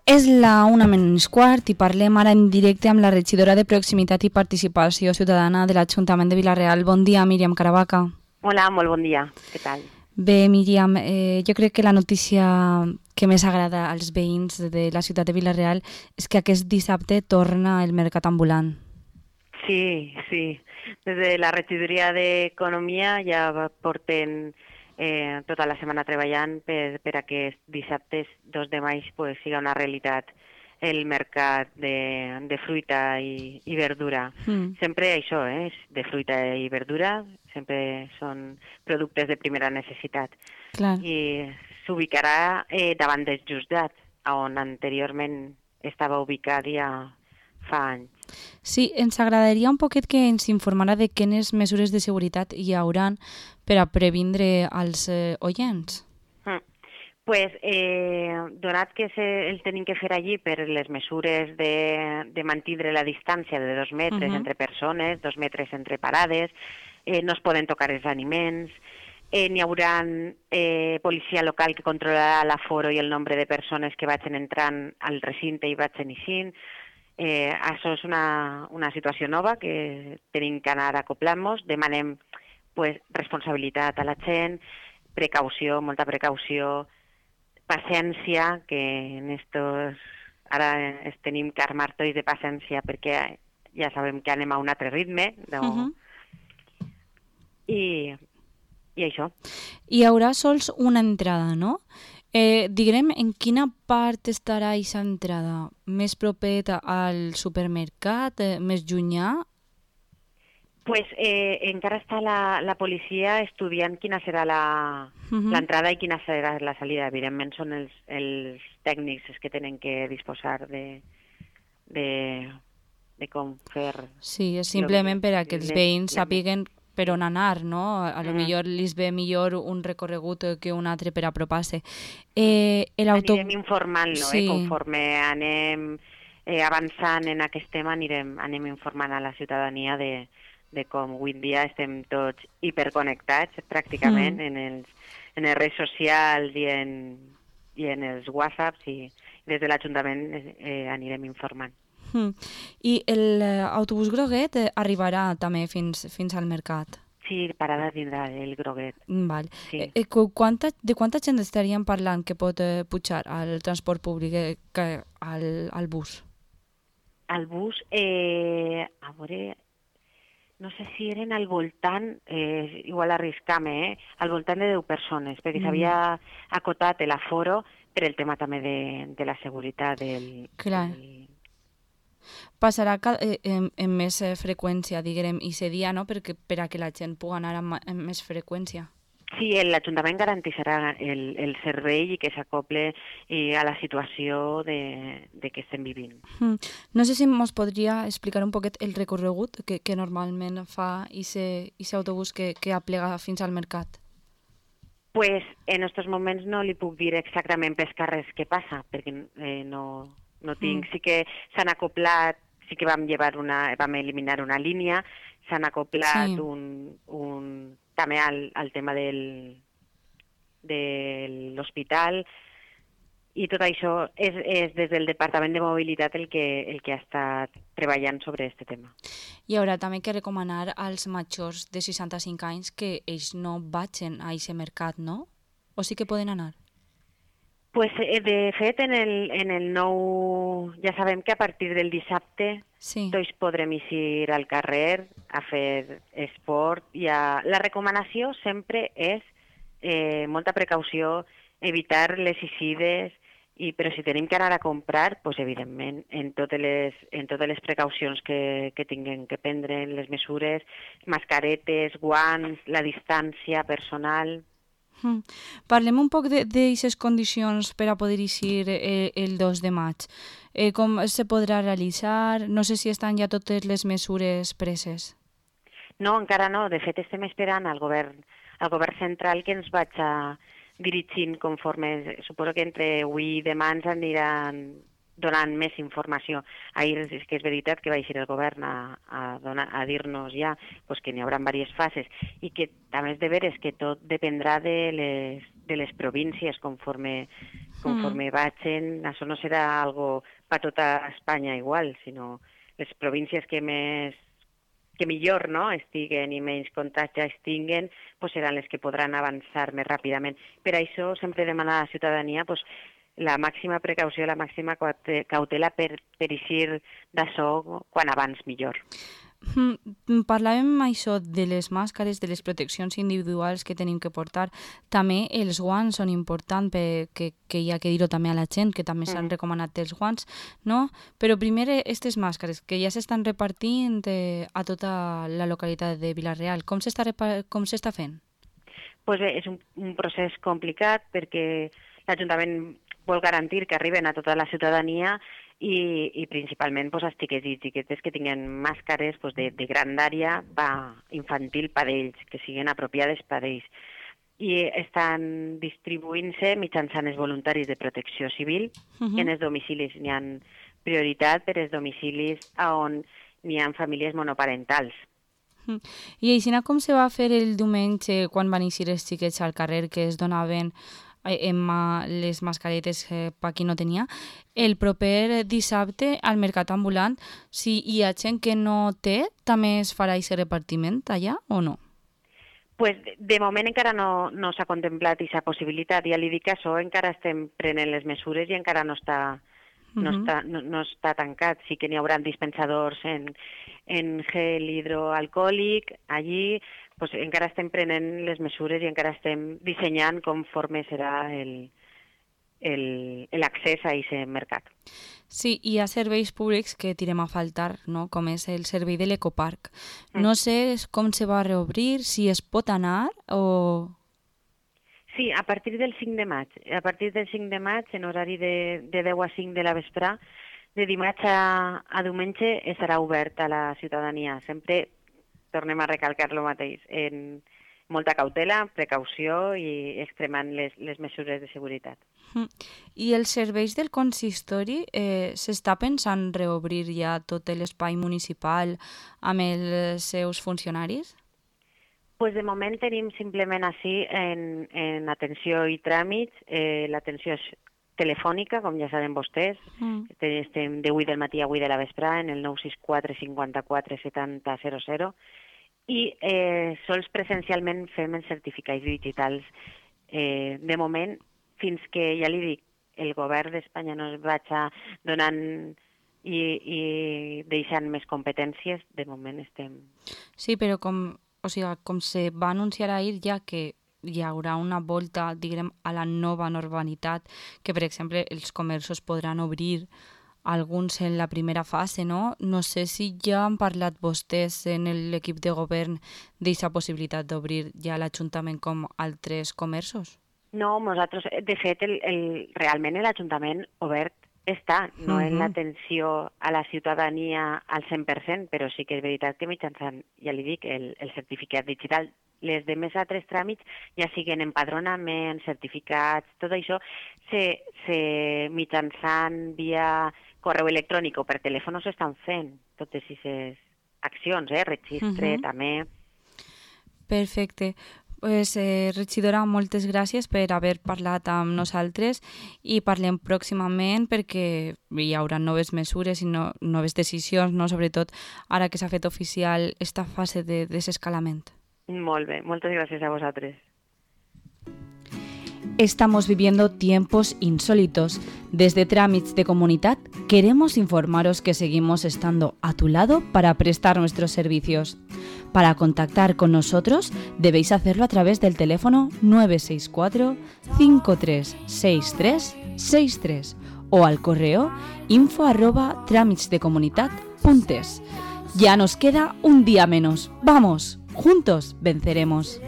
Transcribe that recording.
És la 1:15 i parlem ara en directe amb la regidora de Proximitat i Participació Ciutadana de l'Ajuntament de Vila-real. Bon dia, Míriam Caravaca. Hola, molt bon dia. Què tal? Bé, Míriam, jo crec que la notícia que més agrada als veïns de la ciutat de Vila-real és que aquest dissabte torna el mercat ambulant. Sí. Des de la regidoria d'Economia ja porten tota la setmana treballant per a que dissabtes 2 de maig pues, siga una realitat el mercat de fruita i verdura. Sempre això, és de fruita i verdura, sempre són productes de primera necessitat. Clar. I s'ubicarà davant dels Justdats, on anteriorment estava ubicat ja fa anys. Sí, ens agradaria un poquet que ens informara de quines mesures de seguretat hi hauran per a previndre als oients. Pues, donat que el tenim que fer allí per les mesures de mantindre la distància de 2 metres entre persones, 2 metres entre parades, no es poden tocar els aliments, n'hi haurà policia local que controlarà l'aforo i el nombre de persones que vagin entrant al recinte i vagin eixint. Això és una situació nova que tenim que anar acoplant-nos. Demanem pues, responsabilitat a la gent, precaució, molta precaució, paciència, que en estos ara tenim que armar tots de paciència perquè ja sabem que anem a un altre ritme. I això. Hi haurà sols una entrada, no? Diguem, en quina part estarà aquesta entrada? Més propera al supermercat? Més llunyà? Pues encara està la policia estudiant quina serà l'entrada i quina serà la salida. Evidentment són els tècnics els que tenen que disposar de com fer... Sí, és simplement per a que els veïns sàpiguen per on anar, no? A lo millor li ve millor un recorregut que un altre per apropar-se. Anirem informant-lo, conforme anem avançant en aquest tema, anem informant a la ciutadania de com avui en dia estem tots hiperconnectats pràcticament en les redes socials i en els whatsapps, i des de l'Ajuntament anirem informant. I l'autobús groguet arribarà també fins al mercat? Sí, parada tindrà el groguet. Val. Sí. De quanta gent estaríem parlant que pot pujar al transport públic al bus? Al bus, a veure, no sé si eren al voltant, igual arriscam, al voltant de 10 persones, perquè s'havia acotat l'aforo per el tema també de la seguretat Clar. Passarà amb més freqüència, diguem, i aquest dia, no? Per a que la gent pugui anar amb més freqüència. Sí, l'Ajuntament garantirà el servei i que s'acople a la situació de que estem vivint. No sé si ens podria explicar un poquet el recorregut que normalment fa aquest autobús que aplega fins al mercat. Pues en aquests moments no li puc dir exactament pels carrers què passa, perquè no tinc. Sí que s'han acoplat, sí que vam eliminar una línia, s'han acoplat també al tema de l'hospital, i tot això és des del Departament de Mobilitat el que ha estat treballant sobre aquest tema. Hi haurà també que recomanar als majors de 65 anys que ells no vagin a aquest mercat, no? O sí que poden anar? Pues, de fet, en el nou... Ja sabem que a partir del dissabte tots podrem eixir al carrer a fer esport. La recomanació sempre és molta precaució, evitar les eixides, però si tenim que anar a comprar, pues, evidentment, en totes les precaucions que tinguem que prendre, les mesures, mascaretes, guants, la distància personal... Parlem un poc d'aquestes condicions per a poder eixir el 2 de maig. Com se podrà realitzar? No sé si estan ja totes les mesures preses. No, encara no. De fet, estem esperant al govern central que ens vagi dirigint conforme... Suposo que entre avui i demà ens aniran donant més informació. Ahir és que és veritat que va eixir el govern a dir-nos ja que n'hi haurà diverses fases, i que també és de veres que tot dependrà de les províncies conforme Conforme vagin, això no serà algo per tota Espanya igual, sinó les províncies que millor, no, estiguen i menys contagis tinguen, pues seran les que podran avançar més ràpidament. Per això sempre demana a la ciutadania pues, la màxima precaució, la màxima cautela per eixir d'això quan abans millor. Parlàvem això de les màscares, de les proteccions individuals que tenim que portar. També els guants són importants, que hi ha que dir-ho també a la gent, que també s'han recomanat els guants, no? Però primer, aquestes màscares, que ja s'estan repartint a tota la localitat de Vila-real, com s'està fent? Pues bé, és un procés complicat perquè l'Ajuntament vol garantir que arriben a tota la ciutadania i principalment pues, els xiquets i xiquetes que tinguen màscares pues, de grandària infantil per ells, que siguin apropiades per ells. I estan distribuint-se mitjançant els voluntaris de protecció civil en els domicilis. N'hi ha prioritat per als domicilis on n'hi ha famílies monoparentals. I així com se va fer el diumenge quan van eixir els xiquets al carrer que es donaven les mascaretes per qui no tenia, el proper dissabte al mercat ambulant, si hi ha gent que no té, també es farà aquest repartiment allà o no? Pues de moment encara no s'ha contemplat aquesta possibilitat. Ja li dic que això encara estem prenent les mesures i encara no està tancat. Sí que n'hi haurà dispensadors en gel hidroalcohòlic allí, pues encara estem prenent les mesures i encara estem dissenyant conforme serà l'accés a aquest mercat. Sí, hi ha serveis públics que tirem a faltar, no? Com és el servei de l'ecoparc. No sé com se va reobrir, si es pot anar o... Sí, a partir del 5 de maig. A partir del 5 de maig, en horari de 10 a 5 de la vesprà, de dimarts a diumenge estarà obert a la ciutadania. Sempre tornem a recalcar el mateix, en molta cautela, precaució i extremant les mesures de seguretat. I els serveis del consistori, s'està pensant reobrir ja tot l'espai municipal amb els seus funcionaris? Pues de moment tenim simplement així en atenció i tràmits, l'atenció és telefònica, com ja saben vostès, estem de 8 del matí a 8 de la vesprà en el 964 54 70 00 i sols presencialment fem els certificats digitals. De moment, fins que, ja li dic, el govern d'Espanya no es vagi donant i deixant més competències, de moment estem... Sí, però com se va anunciar ahir ja que hi haurà una volta, diguem, a la nova normalitat, que per exemple els comerços podran obrir alguns en la primera fase, no? No sé si ja han parlat vostès en l'equip de govern d'aquesta possibilitat d'obrir ja l'Ajuntament com altres comerços? No, nosaltres, de fet, realment l'Ajuntament obert està, no en l'atenció a la ciutadania al 100%, però sí que és veritat que mitjançant, ja li dic, el certificat digital, les de més altres tràmits, ja siguen empadronaments, certificats, tot això, mitjançant via correu electrònic o per telèfon s'estan fent totes aquestes accions, registre també. Perfecte. Pues, regidora, moltes gràcies per haver parlat amb nosaltres i parlem pròximament perquè hi haurà noves mesures i noves decisions, no? Sobretot ara que s'ha fet oficial esta fase de desescalament. Molt bé, moltes gràcies a vosaltres. Estamos viviendo tiempos insólitos. Desde Trámits de Comunitat queremos informaros que seguimos estando a tu lado para prestar nuestros servicios. Para contactar con nosotros debéis hacerlo a través del teléfono 964 536363 o al correo info@tramitsdecomunitat.es. Ya nos queda un día menos. ¡Vamos! Juntos venceremos.